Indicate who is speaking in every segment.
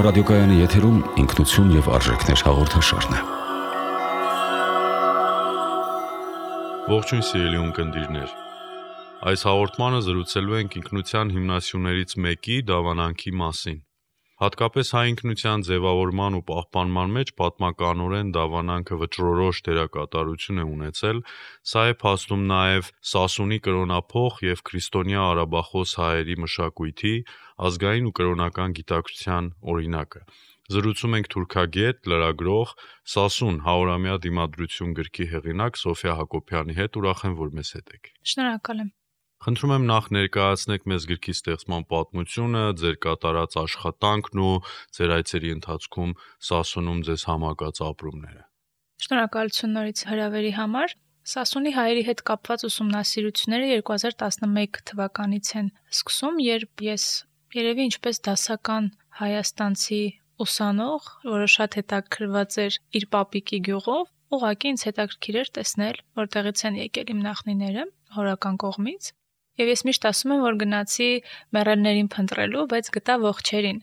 Speaker 1: ռադիոկայանի եթերում ինքնություն եւ արժեքներ հաղորդաշարն է։
Speaker 2: Ողջույն սիրելի ունկնդիրներ։ Այս հաղորդմանը զրուցելու ենք ինքնության հիմնասյուներից մեկի դավանանքի մասին։ Հատկապես հայ ինքնության ձևավորման ու պահպանման մեջ պատմականորեն դավանանքը վճռորոշ դերակատարություն է ունեցել, սա է փաստում նաև Սասունի կրոնափոխ եւ քրիստոնյա արաբախոս հայերի մշակույթի, ազգային ու կրոնական գիտակցության օրինակը։ Զրուցում ենք թուրքագետ, լրագրող, Սասուն 100-ամյա դիմադրություն գրքի հեղինակ Սոֆիա Հակոբյանի հետ, ուրախ եմ, որ մեզ հետ եք։
Speaker 3: Շնորհակալ եմ։
Speaker 2: Խնդրում եմ նախ ներկայացնեք մեզ գրքի ստեղծման պատմությունը, ձեր կատարած աշխատանքն ու ձեր այցերի ընթացքում Սասունում ձեզ համակած ապրումները։
Speaker 3: Շնորհակալություն նորից հրավերի համար։ Սասունի հայերի հետ կապված ուսումնասիրությունները 2011 թվականից են սկսում, երբ ես երևի ինչպես դասական հայաստանցի ուսանող, որը շատ հետաքրքրված էր իր պապիկի գյուղով, ուղղակի ինձ հետաքրքիր էր տեսնել, որտեղից են եկել իմ նախնիները հորական կողմից։ Եվ ես միշտ ասում եմ, որ գնացի մեռելներին փնտրելու, բայց գտա ողջերին։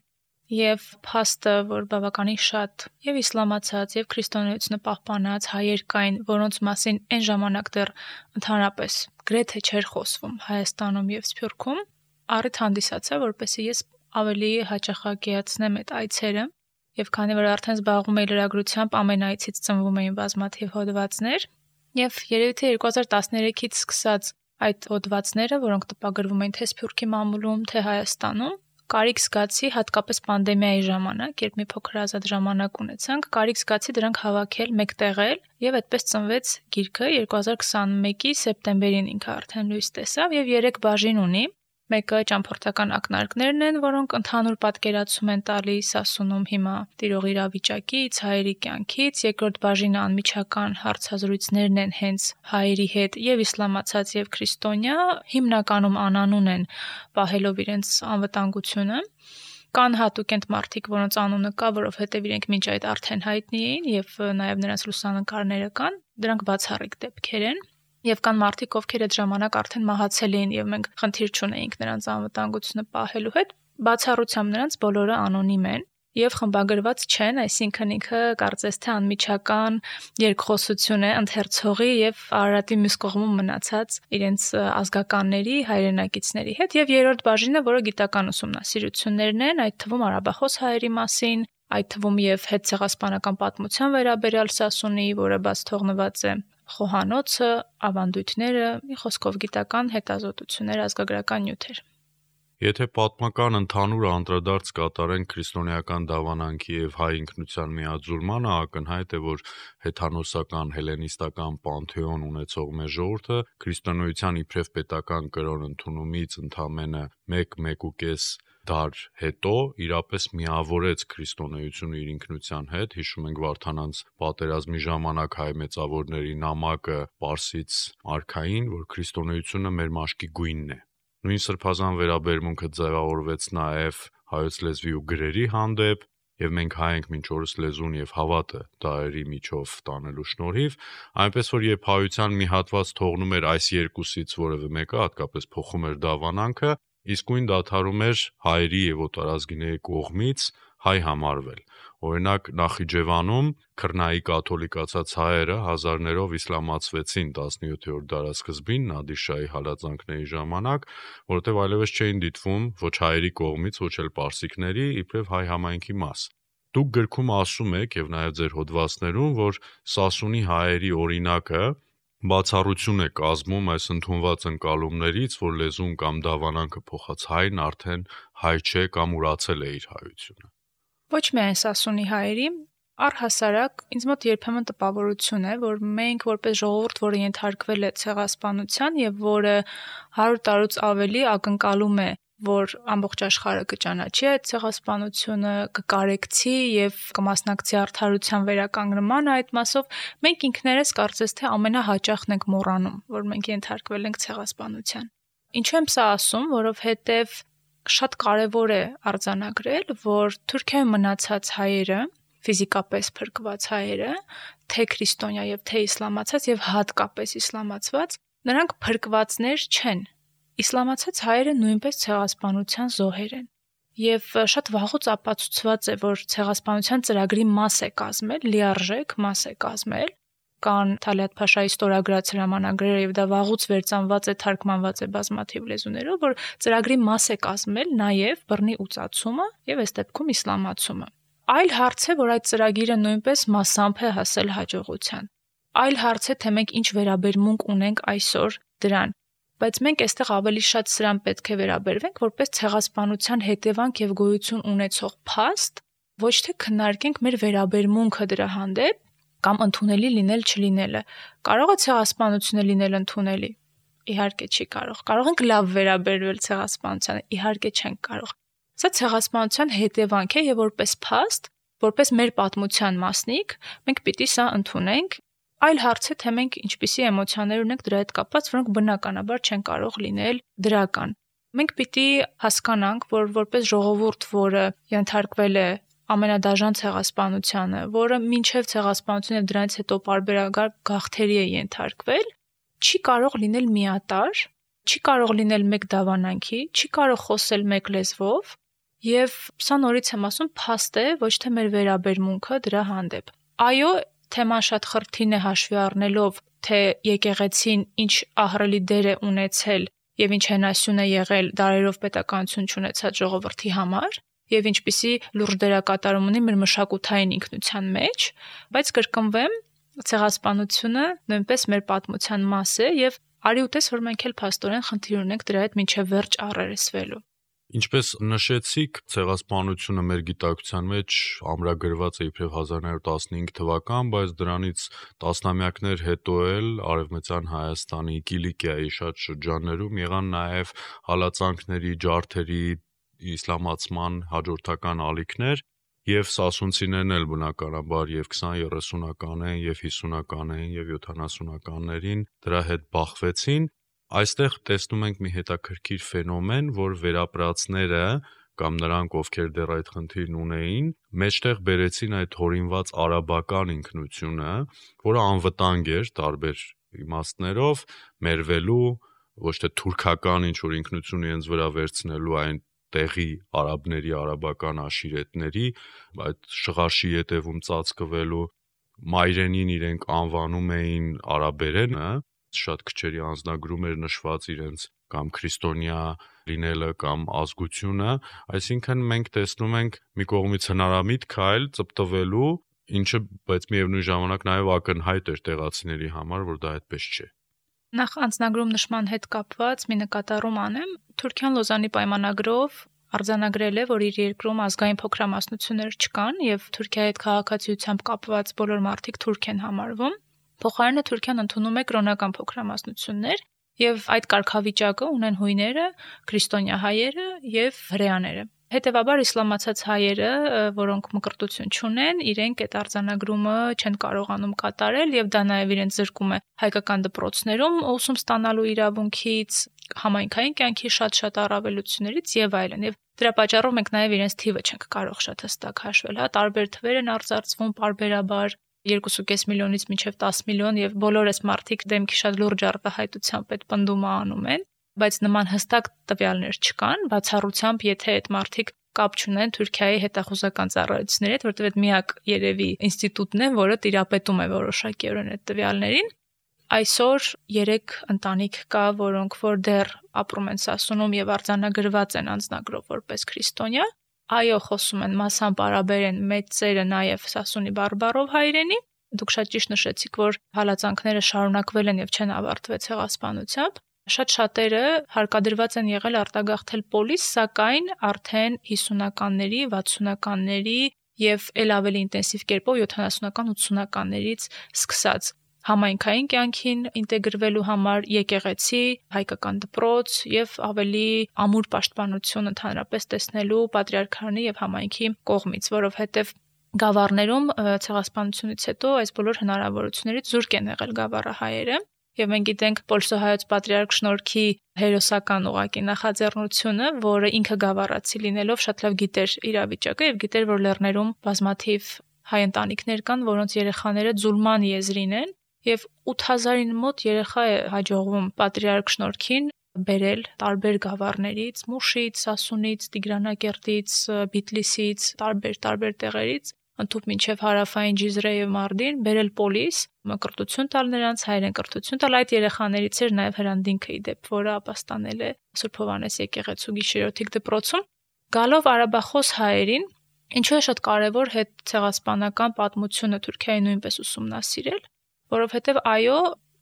Speaker 3: Եվ փաստը, որ բավականին շատ եւ իսլամացած եւ քրիստոնեությունը պահպանած հայեր կային, որոնց մասին այն ժամանակ դեռ ընդհանրապես գրեթե չէր խոսվում Հայաստանում եւ Սփյուռքում, առիթ հանդիսացա, որպեսզի ես ավելի հաճախակիացնեմ այդ այցերը։ Եվ քանի որ արդեն զբաղվում էի լրագրությամբ, ամեն այցից ծնվում էին բազմաթիվ հոդվածներ, եւ երևի թե 2013-ից սկսած այդ հոդվածները, որոնք տպագրվում էին թե Սփյուռքի մամուլում, թե Հայաստանում, կարիք զգացի հատկապես պանդեմիայի ժամանակ, երբ մի փոքր ազատ ժամանակ ունեցանք, կարիք զգացի դրանք հավաքել, մեկտեղել, եւ այդպես ծնվեց գիրքը 2021-ի սեպտեմբերին ինքը արդեն լույս տեսավ եւ 3 բաժին ունի։ Մեկը ճամփորդական ակնարկներն են, որոնք ընդհանուր պատկերացում են տալիս Սասունում հիմա տիրող իրավիճակից, հայերի կյանքից, երկրորդ բաժինը անմիջական հարցազրույցներն են հենց հայերի հետ եւ իսլամացած եւ քրիստոնյա, հիմնականում անանուն են պահելով իրենց անվտանգությունը։ Կան հատուկ են մարդիկ, որոնց անունը կա, որովհետեւ իրենք մինչ այդ արդեն հայտնի էին եւ նաեւ նրանց լուսանկարները կան, դրանք բացառիկ դեպքեր են։ Եվ կան մարդիկ, ովքեր այդ ժամանակ արդեն մահացել էին եւ մենք խնդիր չունեինք նրանց անվտանգությունը պահելու հետ, բացառությամբ նրանց բոլորը անոնիմ են եւ խմբագրված չեն, այսինքն ինքը կարծես թե անմիջական երկխոսություն է ընթերցողի եւ Արարատի մյուս կողմում մնացած իրենց ազգականների, հայրենակիցների հետ եւ երրորդ բաժինը, որը գիտական ուսումնասիրություններն են, այդ թվում արաբախոս հայերի մասին, այդ թվում եւ հետցեղասպանական պատմության վերաբերյալ Սասունի, որը բաց թողնված է խոհանոցը, ավանդույթները, մի խոսքով գիտական հետազոտություններ, ազգագրական նյութեր։
Speaker 2: Եթե պատմական ընդհանուր անդրադարձ կատարենք քրիստոնեական դավանանքի եւ հայ ինքնության միաձուլմանը, ակնհայտ է, որ հեթանոսական հելենիստական պանթեոն ունեցող մեր ժողովուրդը քրիստոնեության իբրև պետական կրոն ընդունումից ընդամենը 1-1.5 դար հետո իրապես միավորեց քրիստոնեությունը իր ինքնության հետ։ Հիշում ենք Վարդանանց պատերազմի ժամանակ հայ մեծավորների նամակը Պարսից արքային, որ քրիստոնեությունը մեր մաշկի գույնն է։ Նույն սրբազան վերաբերմունքը ձևավորվեց նաև հայոց լեզվի ու գրերի հանդեպ, եւ մենք հայ ենք մինչ օրս լեզուն եւ հավատը դարերի միջով տանելու շնորհիվ, այնպես որ երբ հայության մի հատված թողնում էր այս երկուսից որևէ մեկը, հատկապես փոխում էր դավանանքը, իսկույն դադարում էր հայերի եւ օտարազգիների կողմից հայ համարվել։ Օրինակ Նախիջևանում քրնայի կաթոլիկացած հայերը հազարներով իսլամացվեցին 17-րդ դարասկզբին Նադիր-շահի հալածանքների ժամանակ, որովհետև այլևս չէին դիտվում ոչ հայերի կողմից, ոչ էլ պարսիկների, իբրև հայ համայնքի մաս։ Դուք գրքում ասում եք եւ նաեւ ձեր հոդվածներում, որ Սասունի հայերի օրինակը բացառություն է կազմում այս ընդունված ընկալումներից, որ լեզուն կամ դավանանքը փոխած հայն արդեն հայ չէ կամ ուրացել է իր հայությունը։
Speaker 3: Ոչ միայն Սասունի հայերի, առհասարակ ինձ մոտ երբեմն տպավորություն է, որ մենք որպես ժողովուրդ, որը ենթարկվել է ցեղասպանության եւ որը 100 տարուց ավելի ակնկալում է, որ ամբողջ աշխարհը կճանաչի այդ ցեղասպանությունը, կկարեկցի եւ կմասնակցի արդարության վերականգնմանը, այդ մասով մենք ինքներս կարծես թե ամենահաճախն ենք մոռանում, որ մենք ենթարկվել ենք ցեղասպանության։ Ինչու եմ սա ասում, որովհետեւ շատ կարևոր է արձանագրել, որ Թուրքիայում մնացած հայերը, ֆիզիկապես փրկված հայերը, թե քրիստոնյա եւ թե իսլամացած եւ հատկապես իսլամացված, նրանք փրկվածներ չեն։ Իսլամացած հայերը նույնպես ցեղասպանության զոհեր են։ Եվ շատ վաղուց ապացուցված է, որ ցեղասպանության ծրագրի մաս է կազմել, լիարժեք մաս է կազմել, կան Թալիաթ Փաշայի ստորագրած հրամանագրերը եւ դա վաղուց վերծանված է, թարգմանված է բազմաթիվ լեզուներով, որ ծրագրի մաս է կազմել նաեւ բռնի ուծացումը եւ այս դեպքում իսլամացումը։ Այլ հարց է, որ այդ ծրագիրը նույնպես մասամբ է հասել հաջողության։ Այլ հարց է, թե մենք ինչ վերաբերմունք ունենք այսօր դրան, բայց մենք այստեղ ավելի շատ սրան պետք է վերաբերվենք որպես ցեղասպանության հետևանք եւ գոյություն ունեցող փաստ, ոչ թե քննարկենք մեր վերաբերմունքը դրա հանդեպ կամ ընդունելի լինել չլինելը։ Կարող է ցեղասպանությունը լինել ընդունելի։ Իհարկե չի կարող։ Կարող ենք լավ վերաբերվել ցեղասպանությանը, իհարկե չենք կարող։ Սա ցեղասպանության հետևանք է եւ որպես փաստ, որպես մեր պատմության մասնիկ, մենք պիտի սա ընդունենք։ Այլ հարց է, թե մենք ինչպիսի էմոցիաներ ունենք դրա հետ կապված, որոնք բնականաբար չեն կարող լինել դրական։ Մենք պիտի հասկանանք, որ որպես ժողովուրդ, որը ենթարկվել է ամենադաժան ցեղասպանությանը, որը մինչև ցեղասպանությունը եւ դրանից հետո պարբերական գաղթերի է ենթարկվել, չի կարող լինել միատար, չի կարող լինել մեկ դավանանքի, չի կարող խոսել մեկ լեզվով, եւ սա նորից եմ ասում, փաստ է ոչ թե մեր վերաբերմունքը դրա հանդեպ։ Այո, թեման շատ խրթին է հաշվի առնելով, թե եկեղեցին ինչ ահռելի դեր է ունեցել եւ ինչ հենասյուն է եղել դարերով պետականություն չունեցած ժողովրդի համար եւ ինչպիսի լուրջ դերակատարում ունի մեր մշակութային ինքնության մեջ, բայց կրկնվեմ, ցեղասպանությունը նույնպես մեր պատմության մաս է եւ արի ուտես, որ մենք էլ փաստորեն խնդիր ունենք դրա հետ մինչեւ վերջ առերեսվելու։
Speaker 2: Ինչպես նշեցիք, ցեղասպանությունը մեր գիտակցության մեջ ամրագրված է իբրև 1915 թվական, բայց դրանից տասնամյակներ հետո էլ Արևմտյան Հայաստանի Կիլիկիայի շատ շրջաններում եղան նաև հալածանքների, ջարդերի, իսլամացման հաջորդական ալիքներ, եւ սասունցիներն էլ բնականաբար եւ 20-30-ական են, եւ 50-ական են, եւ 70-ականներին դրա հետ բախվեցին։ Այստեղ տեսնում ենք մի հետաքրքիր ֆենոմեն, որ վերապրածները կամ նրանք, ովքեր դեռ այդ խնդիրն ունեին, մեջտեղ բերեցին այդ հորինված արաբական ինքնությունը, որը անվտանգ էր տարբեր իմաստներով, մերվելու, ոչ թե թուրքական ինչ-որ ինքնություն իրենց վրա վերցնելու այն տեղի արաբների, արաբական աշիրետների, այդ շղարշի ետևում ծածկվելու, մայրենին իրենք անվանում էին արաբերենը, շատ քչերի անձնագրում էր նշված իրենց կամ քրիստոնյա լինելը կամ ազգությունը, այսինքն մենք տեսնում ենք մի կողմից հնարամիտ քայլ ծպտվելու, ինչը բայց միևնույն ժամանակ նաև ակնհայտ էր տեղացիների համար, որ դա այդպես չէ։
Speaker 3: Նախ անձնագրում նշման հետ կապված մի նկատառում անեմ, Թուրքիան Լոզանի պայմանագրով արձանագրել է, որ իր երկրում ազգային փոքրամասնություններ չկան եւ Թուրքիայի հետ քաղաքացիությամբ կապված բոլոր մարդիկ թուրք են համարվում։ Փոխարենը Թուրքիան ընդունում է կրոնական փոքրամասնություններ եւ այդ կարգավիճակը ունեն հույները, քրիստոնյա հայերը եւ հրեաները։ Հետևաբար իսլամացած հայերը, որոնք մկրտություն չունեն, իրենք այդ արձանագրումը չեն կարողանում կատարել եւ դա նաեւ իրենց զրկում է հայկական դպրոցներում ուսում ստանալու իրավունքից, համայնքային կյանքի շատ առավելություններից եւ այլն։ Եվ դրա պատճառով մենք նաեւ իրենց թիվը չենք կարող շատ հստակ հաշվել, տարբեր թվեր են արձարծվում պարբերաբար 2.5 միլիոնից մինչև 10 միլիոն եւ բոլոր այս մարդիկ դեմքի շատ լուրջ արտահայտությամբ այդ պնդումը անում են, բայց նման հստակ տվյալներ չկան, բացառությամբ եթե այդ մարդիկ կապ չունեն Թուրքիայի հետախուզական ծառայությունների հետ, որտեղ այդ միակ երևի ինստիտուտն է, որը տիրապետում է որոշակիորեն այդ տվյալներին։ Այսօր 3 ընտանիք կա, որոնք որ դեռ ապրում են Սասունում եւ արձանագրված են անձնագրով որպես քրիստոնյա։ Այո, խոսում են մասամբ արաբերեն, մեծերը նաև Սասունի բարբառով հայերենի։ Դուք շատ ճիշտ նշեցիք, որ հալածանքները շարունակվել են եւ չեն ավարտվել ցեղասպանությամբ։ Շատ շատերը հարկադրված են եղել արտագաղթել պոլիս, սակայն արդեն 50-ականների, 60-ականների եւ ել ավելի ինտենսիվ կերպով 70-ական, 80-ականներից սկսած համայնքային կյանքին ինտեգրվելու համար եկեղեցի, հայկական դպրոց եւ ավելի ամուր պաշտպանություն ընդհանրապես տեսնելու պատրիարքանի եւ համայնքի կողմից, որովհետեւ գավառներում ցեղասպանությունից հետո այս բոլոր հնարավորություններից զուրկ են եղել գավառահայերը եւ մենք գիտենք Պոլսոհայոց պատրիարք Շնորհքի հերոսական ուղակի նախաձեռնությունը, որը ինքը գավառացի լինելով շատ լավ գիտեր իրավիճակը եւ գիտեր, որ լեռներում բազմաթիվ հայ ընտանիքներ կան, որոնց երեխաները ձուլման եզրին են։ Եվ 8000-ին մոտ երեխա է հաջողվում պատրիարք Շնորհքին բերել տարբեր գավառներից, Մուշից, Սասունից, Տիգրանակերտից, Բիթլիսից, տարբեր տեղերից, ընդհուպ մինչև հարավային Ջիզրե եւ Մարդին, բերել պոլիս, կրթություն տալ նրանց, հայերեն կրթություն տալ, այդ երեխաներից էր նաեւ Հրանտինքը իդեպ, որը ապաստանել է Սուրբ Հովհաննես եկեղեցու գիշերօթիկ դպրոցում, գալով արաբախոս հայերին, ինչու է շատ կարևոր հետ ցեղասպանական պատմությունը Թուրքիայի նույնպես ուսումնասիրել, որովհետեւ այո,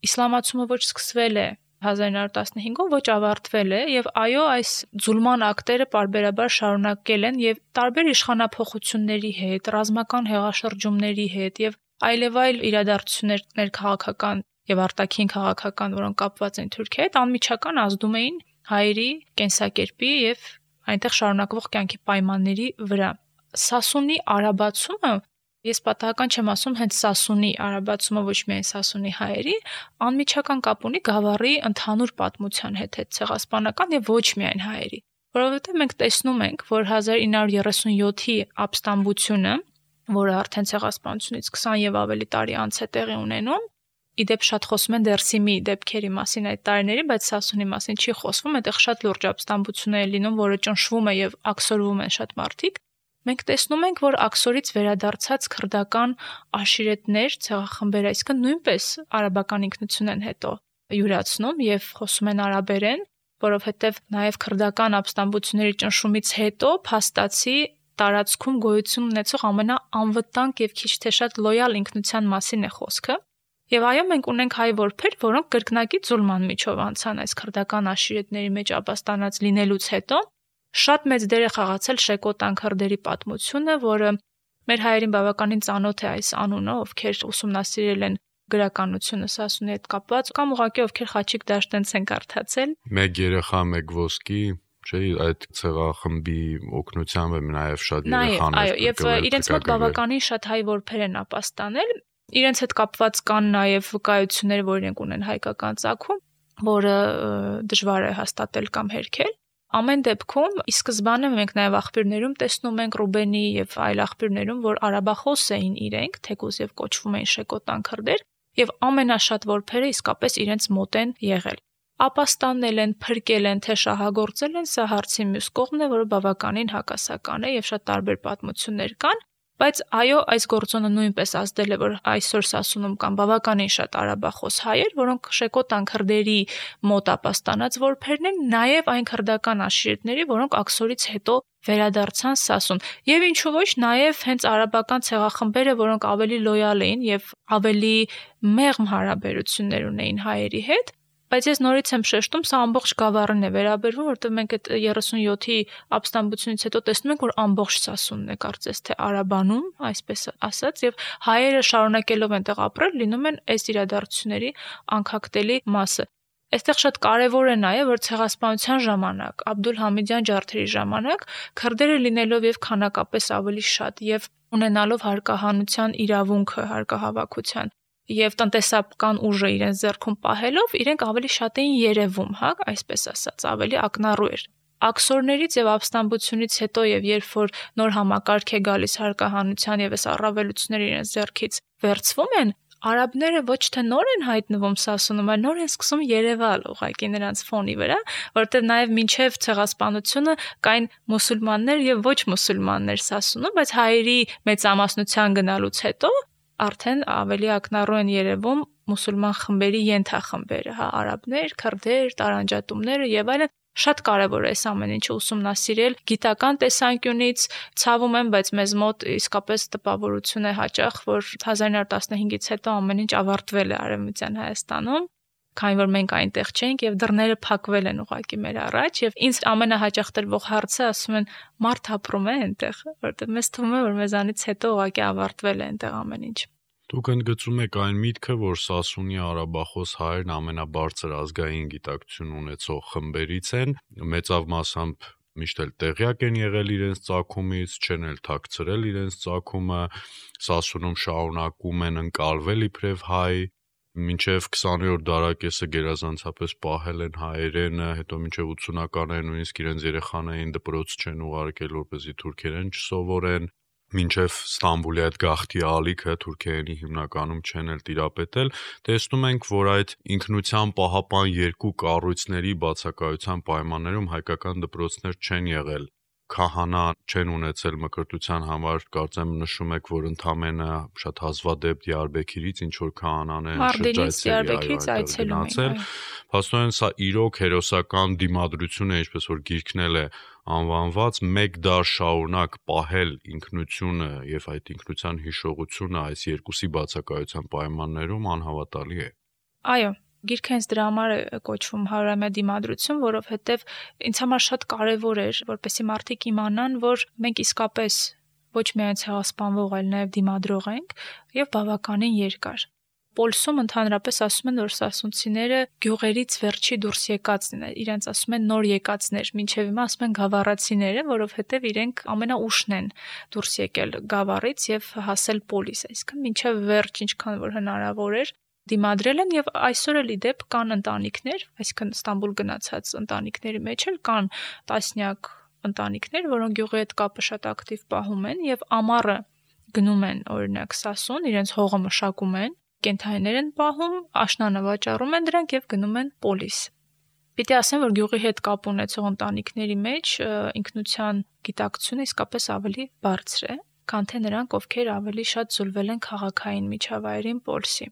Speaker 3: իսլամացումը ոչ սկսվել է 1915-ով, ոչ ավարտվել է եւ այո, այս ձուլման ակտերը պարբերաբար շարունակել են եւ տարբեր իշխանափոխությունների հետ, ռազմական հեղաշրջումների հետ եւ այլևայլ իրադարձություններ ներքաղաքական եւ արտաքին քաղաքական, որոնք կապված են Թուրքիայի հետ, անմիջական ազդում էին հայերի կենսակերպի եւ այնտեղ շարունակվող կյանքի պայմանների վրա։ Սասունի արաբացումը, ես պատահական չեմ ասում հենց Սասունի արաբացումը, ոչ միայն Սասունի հայերի, անմիջական կապ ունի գավառի ընդհանուր պատմության հետ ցեղասպանական եւ ոչ միայն հայերի, որովհետեւ մենք տեսնում ենք, որ 1937-ի ապստամբությունը, որը արդեն ցեղասպանությունից 20 եւ ավելի տարի անց է տեղի ունենում, իդեպ շատ խոսում են Դերսիմի դեպքերի մասին այդ տարիների, բայց Սասունի մասին չի խոսվում, այդտեղ շատ լուրջ ապստամբություն է լինում, որը ճնշվում է եւ աքսորվում են շատ մարդիկ։ Մենք տեսնում ենք, որ աքսորից վերադարձած քրդական աշիրետներ, ցեղախմբեր, այսինքն նույնպես արաբական ինքնություն են հետո յուրացնում եւ խոսում են արաբերեն, որովհետեւ նաեւ քրդական ապստամբությունների ճնշումից հետո փաստացի տարածքում գոյություն ունեցող ամենաանվտանգ եւ քիչ թե շատ լոյալ ինքնության մասին է խոսքը։ Եվ այո, մենք ունենք հայ որբեր, որոնք կրկնակի ձուլման միջով անցան այս քրդական աշիրետների մեջ ապաստանած լինելուց հետո։ Շատ մեծ դեր է խաղացել Շեկոտան քրդերի պատմությունը, որը մեր հայերին բավականին ծանոթ է այս անունը, ովքեր ուսումնասիրել են գրականությունը Սասունի հետ կապված, կամ ուղղակի ովքեր Խաչիկ Դաշտենց են կարդացել։
Speaker 2: Մեկ երեխա, մեկ ոսկի, չէ՞, այդ ցեղախմբի օգնությամբ է նաև շատ երեխաներ։
Speaker 3: Այո, եւ իրենց մոտ բավականին շատ հայ որբեր են ապաստանել։ Իրենց հետ կապված կան նաև վկայություններ, որ իրենք ունեն հայկական ծագում, որը դժվար է հաստատել կամ հերքել։ Ամեն դեպքում ի սկզբանե մենք նաև աղբյուրներում տեսնում ենք Ռուբենի եւ այլ աղբյուրներում, որ արաբախոս էին իրենք, թեկուզ եւ կոչվում էին շեկոտան քրդեր, եւ ամենաշատ որբերը իսկապես իրենց մոտ են եղել։ Ապաստանել են, փրկել են, թե շահագործել են, սա հարցի մյուս կողմն է, որը բավականին հակասական է եւ շատ տարբեր պատմություններ կան, բայց այո, այս գործոնը նույնպես ազդել է, որ այսօր Սասունում կան բավականին շատ արաբախոս հայեր, որոնք շեկոտան քրդերի մոտ ապաստանած որբերն են, նաեւ այն քրդական աշիրետների, որոնք աքսորից հետո վերադարձան Սասուն։ Եվ ինչու ոչ, նաեւ հենց արաբական ցեղախմբերը, որոնք ավելի լոյալ էին եւ ավելի մեղմ հարաբերություններ ունեին հայերի հետ, բայց ես նորից եմ շեշտում, սա ամբողջ գավառին է վերաբերվում, որտեղ մենք այդ 37-ի ապստամբությունից հետո տեսնում ենք, որ ամբողջ Սասունն է կարծես թե արաբանում, այսպես ասած, եւ հայերը շարունակելով այնտեղ ապրել, լինում են այս իրադարձությունների անկախտելի մասը։ Այստեղ շատ կարևոր է նաեւ, որ ցեղասպանության ժամանակ, Աբդուլ-Համիդյան ջարդերի ժամանակ քրդերը լինելով եւ քանակապես ավելի շատ եւ ունենալով հարկահանության իրավունքը, հարկահավաքության եւ տնտեսական ուժը իրենց ձեռքում պահելով, իրենք ավելի շատ էին երևում, հա, այսպես ասած, ավելի ակնառու էր։ Աքսորներից եւ ապստամբությունից հետո եւ երբ որ նոր համակարգ է գալիս հարկահանության եւ այս առավելությունները իրենց ձեռքից վերցվում են, արաբները ոչ թե նոր են հայտնվում Սասունում, այլ նոր են սկսում երևալ ուղղակի նրանց ֆոնի վրա, որտեղ նաև մինչև ցեղասպանությունը կային մուսուլմաններ եւ ոչ մուսուլմաններ Սասունում, բայց հայերի մեծամասնության գնալուց հետո արդեն ավելի ակնառու են երևում մուսուլման խմբերի ենթախմբերը, հա, արաբներ, քրդեր, տարանջատումները եւ այլն։ Շատ կարևոր է այս ամեն ինչը ուսումնասիրել գիտական տեսանկյունից, ցավում եմ, բայց մեզ մոտ իսկապես տպավորություն է հաճախ, որ 1915-ից հետո ամեն ինչ ավարտվել է Արևմտյան Հայաստանում, քանի որ մենք այնտեղ չենք եւ դռները փակվել են ուղղակի մեր առաջ եւ ինձ ամենահաճախ տրվող հարցը ասում են մարդ ապրում է այնտեղ, որտեղ մեզ թվում է, որ մեզանից հետո ուղղակի ավարտվել է այնտեղ ամեն ինչ։
Speaker 2: Դուք ընդգծում եք այն միտքը, որ Սասունի արաբախոս հայերն ամենաբարձր ազգային գիտակցություն ունեցող խմբերից են, մեծավ մասամբ միշտ էլ տեղյակ են եղել իրենց ծագումից, չեն էլ թաքցրել իրենց ծագումը, Սասունում շարունակում են ընկալվել իբրև հայ, մինչև 20-րդ դարակեսը գերազանցապես պահել են հայերենը, հետո մինչև 80-ականները նույնիսկ իրենց երեխաներին դպրոց չեն ուղարկել, որպեսզի թուրքերեն չսովորեն։ մինչև Ստամբուլի այդ գաղթի ալիքը Թուրքիայինի հիմնականում չեն էլ տիրապետել, տեսնում ենք, որ այդ ինքնության պահապան երկու կառույցների բացակայության պայմաններում հայկական դպրոցներ չեն եղել, քահանա չեն ունեցել մկրտության համար, կարծեմ նշում եք, որ ընդամենը շատ հազվադեպ Դիարբեքիրից ինչ որ քահանան են
Speaker 3: Դիարբեքիրից այցելում են։
Speaker 2: Փաստորեն սա իրոք հերոսական դիմադրություն է, ինչպես որ գիրքնել է անվանված, մեկ դար շարունակ պահել ինքնությունը եւ այդ ինքնության հիշողությունը այս երկուսի բացակայության պայմաններում անհավատալի է։
Speaker 3: Այո, գիրքը հենց դրա համար է կոչվում 100-ամյա դիմադրություն, որովհետև ինձ համար շատ կարևոր էր, որպեսզի մարդիկ իմանան, որ մենք իսկապես ոչ միայն ցեղասպանվող, այլ նաև դիմադրող ենք եւ բավականին երկար։ Պոլսում ընդհանրապես ասում են, որ սասունցիները գյուղերից վերջի դուրս եկածն են, իրենց ասում են նոր եկածներ, մինչև հիմա ասում են գավառացիները, որովհետև իրենք ամենաուշն են դուրս եկել գավառից եւ հասել պոլիս, այսինքն մինչև վերջ ինչքան որ հնարավոր էր դիմադրել են եւ այսօր էլ իդեպ կան ընտանիքներ, այսինքն Ստամբուլ գնացած ընտանիքների մեջ էլ կան տասնյակ ընտանիքներ, որոնք գյուղի հետ կապը շատ ակտիվ պահում են եւ ամառը գնում են օրինակ Սասուն, իրենց հողը մշակում են, կենթայիներ են պահում, աշնանը վաճառում են դրանք եւ գնում են պոլիս։ Պիտի ասեմ, որ գյուղի հետ կապ ունեցող ընտանիքների մեջ ինքնության գիտակցությունը իսկապես ավելի բարձր է, քան թե նրանք, ովքեր ավելի շատ զուլվել են քաղաքային միջավայրին պոլսի։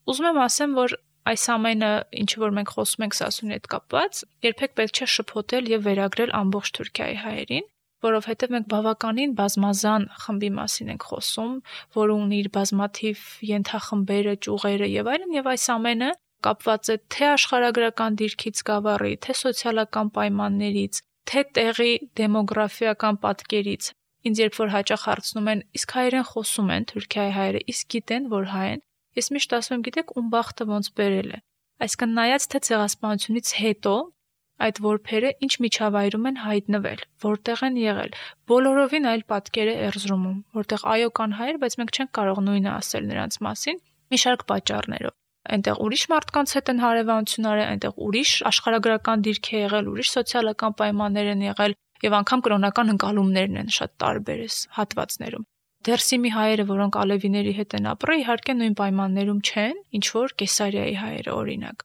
Speaker 3: Ուզում եմ ասեմ, որ այս ամենը, ինչ որ մենք խոսում ենք Սասունի հետ կապված, երբեք պետք չէ շփոթել եւ վերագրել ամբողջ Թուրքիայի հայերին, որովհետեւ մենք բավականին բազմազան խմբի մասին ենք խոսում, որը ունի իր բազմաթիվ ենթախմբերը, ճյուղերը եւ այլն, եւ այս ամենը կապված է թե աշխարհագրական դիրքից գավառի, թե սոցիալական պայմաններից, թե տեղի դեմոգրաֆիական պատկերից։ Ինձ երբ որ հաճախ հարցնում են, իսկ հայերեն խոսում են Թուրքիայի հայերը, իսկ գիտեն, որ հայ են, ես միշտ ասում եմ, գիտեք, ում բախտը ոնց բերել է։ Այսինքն նայած թե ցեղասպանությունից հետո այդ որբերը ինչ միջավայրում են հայտնվել, որտեղ են եղել, բոլորովին այլ պատկեր է Էրզրումում, որտեղ այո կան հայեր, բայց մենք չենք կարող նույնը ասել նրանց մասին, մի շարք պատճառներով։ Այնտեղ ուրիշ մարդկանց հետ են հարևանություն արել, այնտեղ ուրիշ աշխարհագրական դիրք է եղել, ուրիշ սոցիալական պայմաններ են եղել եւ անգամ կրոնական ընկալումներն են շատ տարբեր հատվածներում։ Դերսիմի հայերը, որոնք ալևիների հետ են ապրել, իհարկե նույն պայմաններում չեն, ինչ որ Կեսարիայի հայերը օրինակ։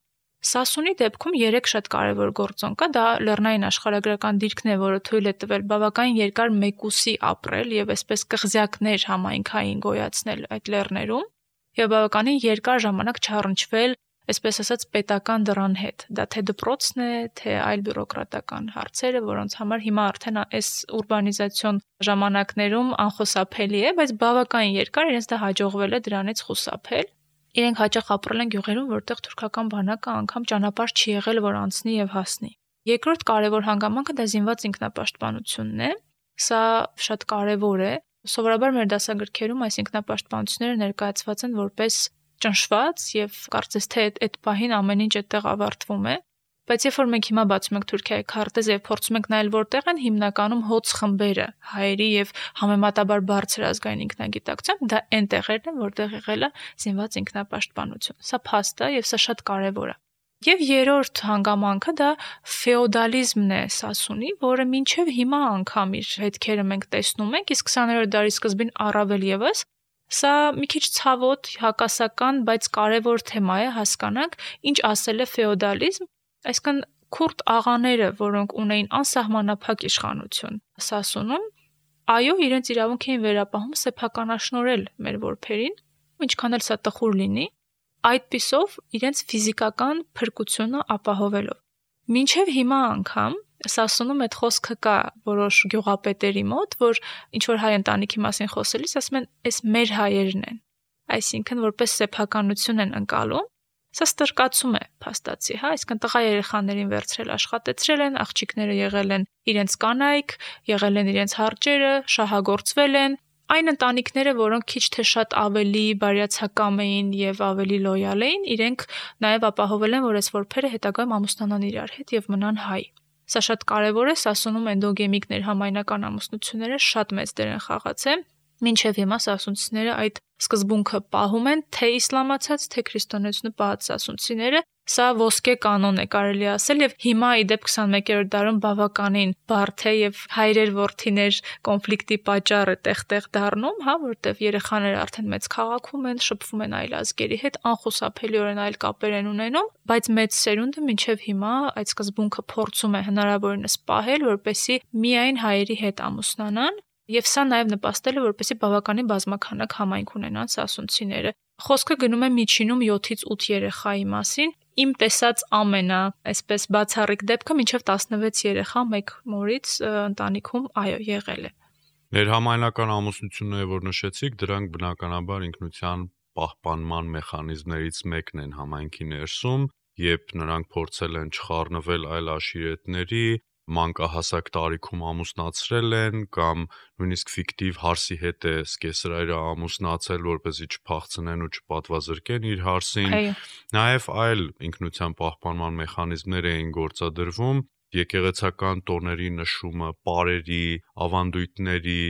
Speaker 3: Սասունի դեպքում 3 շատ կարևոր գործոն կա, դա լեռնային աշխարհագրական դիրքն է, որը թույլ է տվել բավականին երկար մեկուսի ապրել եւ այսպես կղզյակներ համայնքային գոյացնել այդ լեռներում եւ բավականին երկար ժամանակ չառնչվել, այսպես ասած, պետական դրան հետ։ Դա թե դպրոցն է, թե այլ բյուրոկրատական հարցերը, որոնց համար հիմա արդեն այս ուրբանիզացիոն ժամանակներում անխուսափելի է, բայց բավականին երկար իրենց դա հաջողվել է դրանից խուսափել։ Իրենք հաճախ ապրել են գյուղերում, որտեղ թուրքական բանակը անգամ ճանապարհ չի եղել, որ անցնի եւ հասնի։ Երկրորդ կարևոր հանգամանքը դա զինված ինքնապաշտպանությունն է։ Սա շատ կարևոր է։ Սովորաբար մեր դասագրքերում այս ինքնապաշտպանությունները ներկայացված են որպես ճնշված եւ կարծես թե այդ պահին ամեն ինչ այդտեղ ավարտվում է, բայց երբ որ մենք հիմա բացում ենք Թուրքիայի քարտեզը եւ փորձում ենք նայել որտեղ են հիմնականում հոց խմբերը, հայերի եւ համեմատաբար բարձր ազգային ինքնագիտակցությամբ, դա այն տեղերն են, որտեղ եղել է զինված ինքնապաշտպանություն։ Սա փաստ է եւ սա շատ կարեւոր է։ Եվ երրորդ հանգամանքը դա ֆեոդալիզմն է Սասունի, որը մինչև հիմա անգամ իր հետքերը մենք տեսնում ենք, իսկ 20-րդ դարի սկզբին առավել եւս Սա մի քիչ ցավոտ, հակասական, բայց կարևոր թեմա է, հասկանանք, ինչ ասել է ֆեոդալիզմ, այսինքն քուրդ աղաները, որոնք ունեին անսահմանափակ իշխանություն Սասունում, այո, իրենց իրավունք էին վերապահում սեփականաշնորհել մեր որբերին, ինչքան էլ սա տխուր լինի, այդպիսով իրենց ֆիզիկական փրկությունը ապահովելով։ Մինչև հիմա անգամ Սասունում այդ խոսքը կա որոշ գյուղապետերի մոտ, որ ինչ որ հայ ընտանիքի մասին խոսելիս ասում են, «Էս մեր հայերն են», այսինքն որպես սեփականություն են ընկալում։ Սա ստրկացում է փաստացի, հա, այսինքն տղա երեխաներին վերցրել աշխատեցրել են, աղջիկները եղել են իրենց կանայք, եղել են իրենց հարճերը, շահագործվել են։ Այն ընտանիքները, որոնք քիչ թե շատ ավելի բարյացակամ էին եւ ավելի լոյալ էին, իրենք նաեւ ապահովել են, որ այս որբերը հետագայում ամուսնանան իրար հետ եւ մնան հայ։ Սա շատ կարևոր է, Սասունում էնդոգեմիկ ներհամայնական ամուսնությունները շատ մեծ դեր են խաղացել։ Մինչև հիմա սասունցիները այդ սկզբունքը պահում են, թե իսլամացած, թե քրիստոնեությունը պահած սասունցիները, Սա ոսկե կանոն է կարելի ասել եւ հիմա իդեպ 21-րդ դարում բավականին բարդ է եւ հայրեր որդիներ կոնֆլիկտի պատճառ է տեղ-տեղ դառնում, հա, որտեվ երեխաները արդեն մեծ քաղաքում են, շփվում են այլ ազգերի հետ, անխուսափելիորեն այլ կապեր են ունենում, բայց մեծ սերունդը մինչեւ հիմա այդ սկզբունքը փորձում է հնարավորինս պահել, որպեսզի միայն հայերի հետ ամուսնանան, եւ սա նաեւ նպաստել է, որպեսզի բավականին բազմաքանակ համայնք ունենան սասունցիները։ Խոսքը գնում է միջինում 7-ից 8 երեխայի մասին։ Իմ տեսած այսպես բացառիկ դեպքը մինչև 16 երեխա մեկ մորից ընտանիքում եղել է։
Speaker 2: Ներհամայնական ամուսնությունները, որ նշեցիք, դրանք բնականաբար ինքնության պահպանման մեխանիզմներից մեկն են համայնքի ներսում, երբ նրանք փորձել են չխառնվել այլ աշիրետների, մանկահասակ տարիքում ամուսնացրել են կամ նույնիսկ ֆիկտիվ հարսի հետ է սկեսրայրը ամուսնացել, որպեսզի չփախցնեն ու չպատվազրկեն իր հարսին։ Նաև այլ ինքնության պահպանման մեխանիզմներ էին գործադրվում, եկեղեցական տոների նշումը, պարերի, ավանդույթների,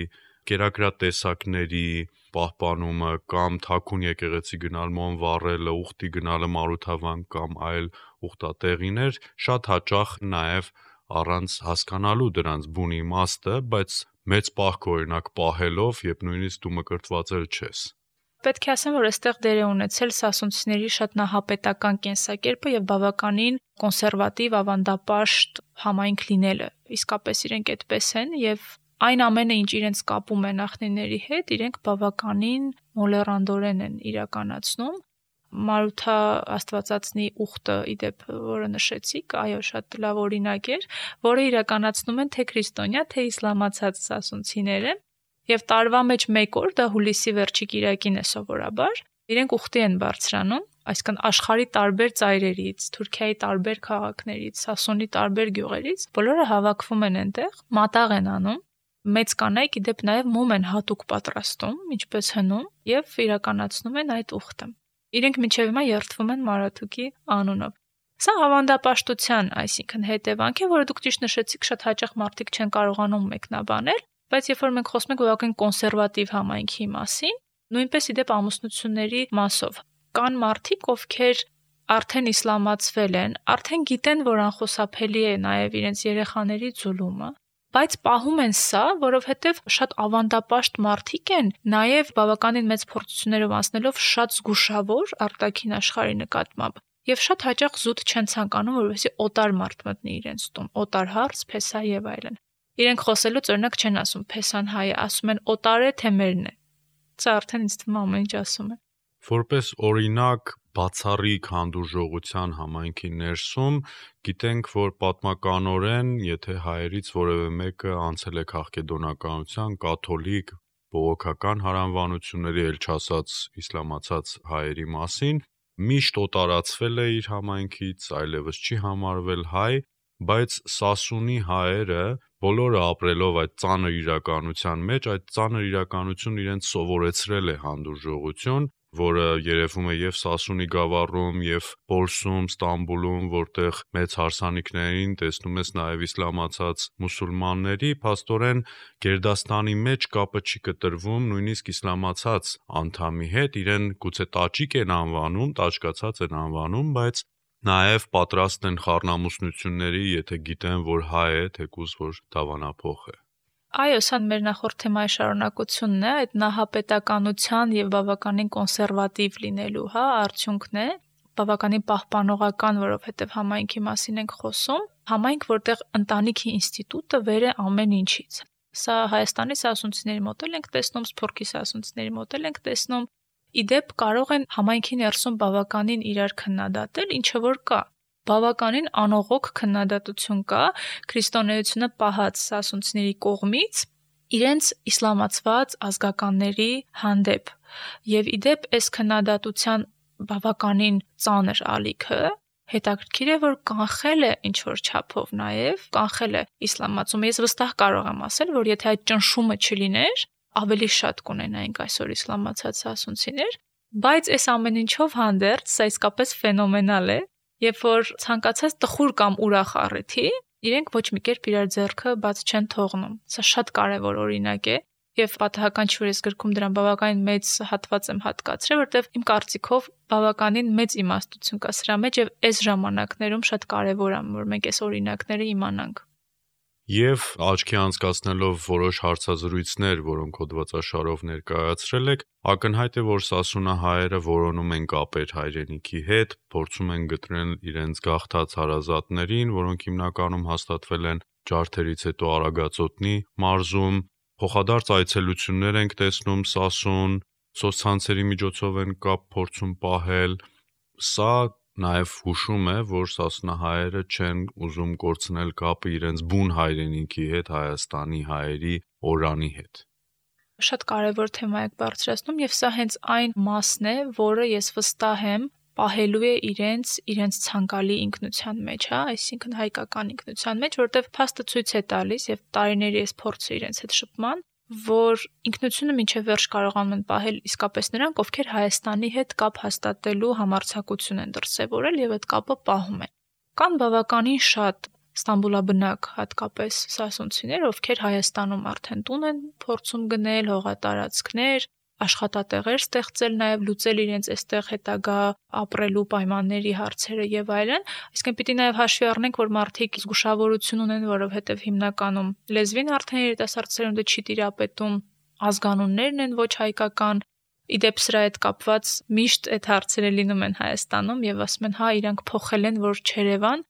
Speaker 2: կերակրատեսակների պահպանումը կամ թաքուն եկեղեցի գնալ մոմ վառելը, ուխտի գնալը Մարութավան կամ այլ ուխտատեղիներ, շատ հաճախ նաև առանց հասկանալու դրանց բուն իմաստը, բայց մեծ պահք օրինակ պահելով, երբ նույնիսկ դու մկրտվածել չես։
Speaker 3: Պետք է ասեմ, որ այստեղ դեր է ունեցել սասունցիների շատ նահապետական կենսակերպը եւ բավականին կոնսերվատիվ, ավանդապաշտ համայնք լինելը։ Իսկապես իրենք այդպես են եւ այն ամենը, ինչ իրենց կապում է նախնիների հետ, իրենք բավականին մոլեռանդորեն են իրականացնում։ Մարութա Աստվածածնի ուխտը, իդեպ, որը նշեցիք, այո, շատ լավ օրինակ էր, որը իրականացնում են թե քրիստոնյա, թե իսլամացած սասունցիները, եւ տարվա մեջ մեկ օր, դա հուլիսի վերջի կիրակին է սովորաբար, իրենք ուխտի են բարձրանում, այսինքն աշխարհի տարբեր ծայրերից, Թուրքիայի տարբեր քաղաքներից, Սասունի տարբեր գյուղերից, բոլորը հավաքվում են այնտեղ, մատաղ են անում, մեծ կանայք իդեպ նաեւ մոմ են հատուկ պատրաստում, ինչպես հնում, եւ իրականացնում են այդ ուխտը։ Իրենք մինչև հիմա երդվում են Մարաթուկի անունով։ Սա ավանդապաշտության, այսինքն հետևանք է, որը դուք ճիշտ նշեցիք, շատ հաճախ մարդիկ չեն կարողանում մեկնաբանել, բայց երբ որ մենք խոսում ենք բավական կոնսերվատիվ համայնքի մասին, նույնպես իդեպ ամուսնությունների մասով, կան մարդիկ, ովքեր արդեն իսլամացվել են, արդեն գիտեն, որ անխուսափելի է նաև իրենց երեխաների ձուլումը, բայց պահում են սա, որովհետև շատ ավանդապաշտ մարդիկ են, նաև բավականին մեծ փորձություններով անցնելով շատ զգուշավոր արտաքին աշխարհի նկատմամբ, եւ շատ հաճախ զուտ չեն ցանկանում, որովհետեւ օտար մարդ մտնի իրենց տուն, օտար հարց, փեսա եւ այլն։ Իրենք խոսելուց օրինակ չեն ասում փեսան հայ է, ասում են օտար է թե մերն է։ Սա արդեն ինձ թվում է ամեն ինչ ասում է։
Speaker 2: Որպես օրինակ բացառիկ հանդուրժողության համայնքի ներսում գիտենք, որ պատմականորեն, եթե հայերից որևէ մեկը անցել է քաղաքեդոնականության, կաթոլիկ, բողոքական հարանվանությունների, ել չասած իսլամացած հայերի մասին, միշտ օտարացվել է իր համայնքից, այլևս չի համարվել հայ, բայց Սասունի հայերը բոլորը ապրելով այդ ծանր իրականության մեջ, այդ ծանր իրականությունն իրենց սովորեցրել է հանդուրժողություն, որը երևում է եւ Սասունի գավառում, եւ Պոլսում, Ստամբուլում, որտեղ մեծ հարսանիքներին տեսնում ես նաեւ իսլամացած մուսուլմանների, փաստորեն Գերդաստանի մեջ կապը չի կտրվում նույնիսկ իսլամացած անդամի հետ, իրեն գուցե տաճիկ են անվանում, տաճկացած են անվանում, բայց նաեւ պատրաստ են խառնամուսնությունների, եթե գիտեն, որ հայ է, թեկուզ որ դավանափոխ է։
Speaker 3: Այո, սա մեր նախորդ թեմայի շարունակությունն է, այդ նահապետականության եւ բավականին կոնսերվատիվ լինելու, արդյունքն է, բավականին պահպանողական, որովհետեւ համայնքի մասին ենք խոսում, համայնք, որտեղ ընտանիքի ինստիտուտը վեր է ամեն ինչից։ Սա Հայաստանի սասունցիների մոտ էլ ենք տեսնում, Սփյուռքի սասունցիների մոտ էլ ենք տեսնում, իդեպ կարող են համայնքի ներսում բավականին իրար քննադատել, ինչը որ կա։ Բավականին անողոք քննադատություն կա քրիստոնեությունը պահած սասունցիների կողմից իրենց իսլամացված ազգականների հանդեպ։ Եվ իդեպ այս քննադատության բավականին ծանր ալիքը հետաքրքիր է, որ կանխել է ինչ-որ չափով նաև, կանխել է իսլամացումը։ Ես վստահ կարող եմ ասել, որ եթե այդ ճնշումը չլիներ, ավելի շատ կունենայինք այսօր իսլամացած սասունցիներ, բայց այս ամեն ինչով հանդերձ սա իսկապես ֆենոմենալ է, երբ որ ցանկացած տխուր կամ ուրախ առիթի իրենք ոչ մի կերպ իրար ձեռքը բաց չեն թողնում։ Սա շատ կարևոր օրինակ է, Եվ պատահական չի, որ ես գրքում դրան բավականին մեծ հատված եմ հատկացրել, որտեղ իմ կարծիքով բավականին մեծ իմաստություն կա սրա մեջ եւ այս ժամանակներում շատ կարեւոր է, որ մենք այս օրինակները իմանանք։
Speaker 2: Եվ աչքի անցկացնելով որոշ հարցազրույցներ, որոնք հոդվածաշարով ներկայացրել եք, ակնհայտ է, որ սասունահայերը որոնում են կապեր հայրենիքի հետ, փորձում են գտնել իրենց գաղթած հարազատներին, որոնք հիմնականում հաստատվել են ջարդերից հետո Արագածոտնի մարզում, փոխադարձ այցելություններ ենք տեսնում Սասուն, սոցցանցերի միջոցով են կապ փորձում պահել, սա նաև հուշում է, որ սասունահայերը չեն ուզում կորցնել կապը իրենց բուն հայրենիքի հետ, Հայաստանի հայերի օրանի հետ։
Speaker 3: Շատ կարևոր թեմա եք բարձրացնում եւ սա հենց այն մասն է, որը ես վստահ եմ պահելու է իրենց ցանկալի ինքնության մեջ, այսինքն հայկական ինքնության մեջ, որտեղ փաստը ցույց է տալիս եւ տարիների այս փորձը իրենց հետ շփման, որ ինքնությունը մինչև վերջ կարողանում են պահել իսկապես նրանք, ովքեր Հայաստանի հետ կապ հաստատելու համարձակություն են դրսևորել եւ այդ կապը պահում են։ Կան բավականին շատ Ստամբուլաբնակ հատկապես սասունցիներ, ովքեր Հայաստանում արդեն տուն են փորձում գնել, հողատարածքներ, աշխատատեղեր ստեղծել, նաև լուծել իրենց այստեղ հետագա ապրելու պայմանների հարցերը եւ այլն, այսինքն պիտի նաև հաշվի առնենք, որ մարդիկ զգուշավորություն ունեն, որովհետեւ հիմնականում լեզվին արդեն երիտասարդ սերունդը չի տիրապետում, ազգանուններն են ոչ հայկական, իդեպ սրա հետ կապված միշտ այդ հարցերը լինում են Հայաստանում եւ ասում են, հա, իրանք փոխել են, որ Չերևան,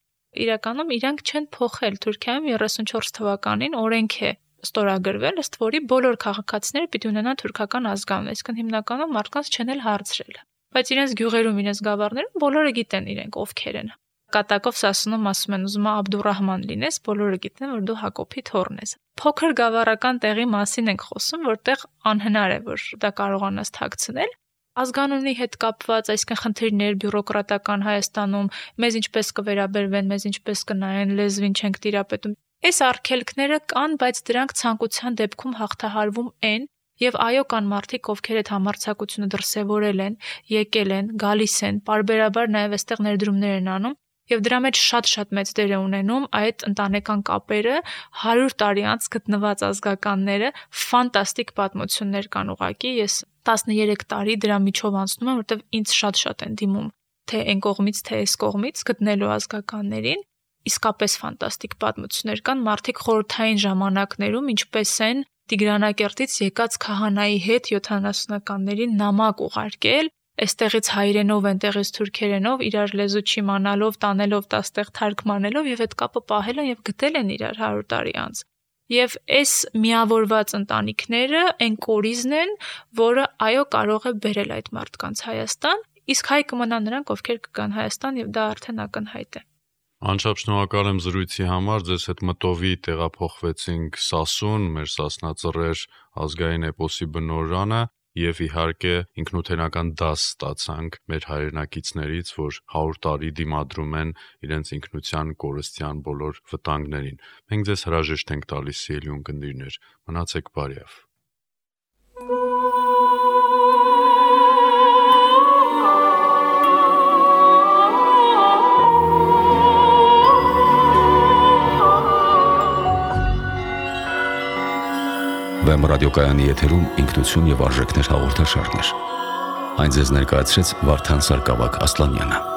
Speaker 3: իրականում իրանք չեն փոխել, Թուրքիայում 34 թվականին օրենք է ստորագրվել, ըստ որի բոլոր քաղաքացիները պիտի ունենան թուրքական ազգանուն, այսինքն հիմնականում մարդկանց չեն էլ հարցրել։ Բայց իրենց գյուղերում, իրենց գավառներում բոլորը գիտեն իրենք ովքեր են։ Կատակով Սասունում ասում են, ուզում Աբդուրահման լինես, բոլորը գիտեն, որ դու Հակոբի թոռն ես։ Փոքր գավառական տեղի մասին ենք խոսում, որտեղ անհնար է, որ դա կարողանաս թաքցնել։ Ազգանունի հետ կապված, այսինքն խնդիրներ բյուրոկրատական Հայաստանում, մեզ ինչպես կվերաբերվեն, մեզ ինչպես կնայեն, լեզվին չենք տիրապետում։ Այս արգելքները կան, բայց դրանք ցանկության դեպքում հաղթահարվում են, եւ այո, կան մարդիկ, ովքեր այդ համարձակությունը դրսևորել են, եկել են, գալիս են, պարբերաբար նաեւ այստեղ ներդրումներ են անում, եւ դրա մեջ շատ մեծ դեր է ունենում այդ ընտանեկան կապերը, 100 տարի անց գտնված ազգականները, ֆանտաստիկ պատմություններ կան ուղղակի, ես 13 տարի դրա միջով անցնում եմ, որտեվ ինձ շատ են դիմում, թե այն կողմից, թե այս կողմից գտնելու ազգականներին, իսկապես ֆանտաստիկ պատմություններ կան, մարդիկ խորհրդային ժամանակներում ինչպես են Տիգրանակերտից եկած քահանայի հետ 70-ականներին նամակ ուղարկել, այստեղից հայերենով, այնտեղից թուրքերենով, իրար լեզու չիմանալով, տանելով տաստեղ թարգմանելով եւ այդ կապը պահել են եւ գտել են իրար 100 տարի անց։ Եվ այս միավորված ընտանիքները այն կորիզն են, որը այո կարող է բերել այդ մարդկանց Հայաստան, իսկ հայ կմնան նրանք, ովքեր կգան Հայաստան եւ դա արդեն ակնհայտ է։
Speaker 2: Անչափ շնորհակալ եմ զրույցի համար, ձեզ հետ մտովի տեղափոխվեցինք Սասուն, մեր Սասնածռեր ազգային էպոսի բնօրրանը եւ իհարկե ինքնութենական դաս ստացանք մեր հայրենակիցներից, որ 100 տարի դիմադրում են իրենց ինքնության կորստյան բոլոր վտանգներին։ Մենք ձեզ հրաժեշտ ենք տալիս, սիրելի ունկնդիրներ, մնացեք բարյավ։
Speaker 1: Վեմ ռադիոկայանի եթերում ինքնություն եւ արժեքներ հաղորդաշարներ։ Այն ձեզ ներկայացրեց Վարդան Սարգսակ Ասլանյանը։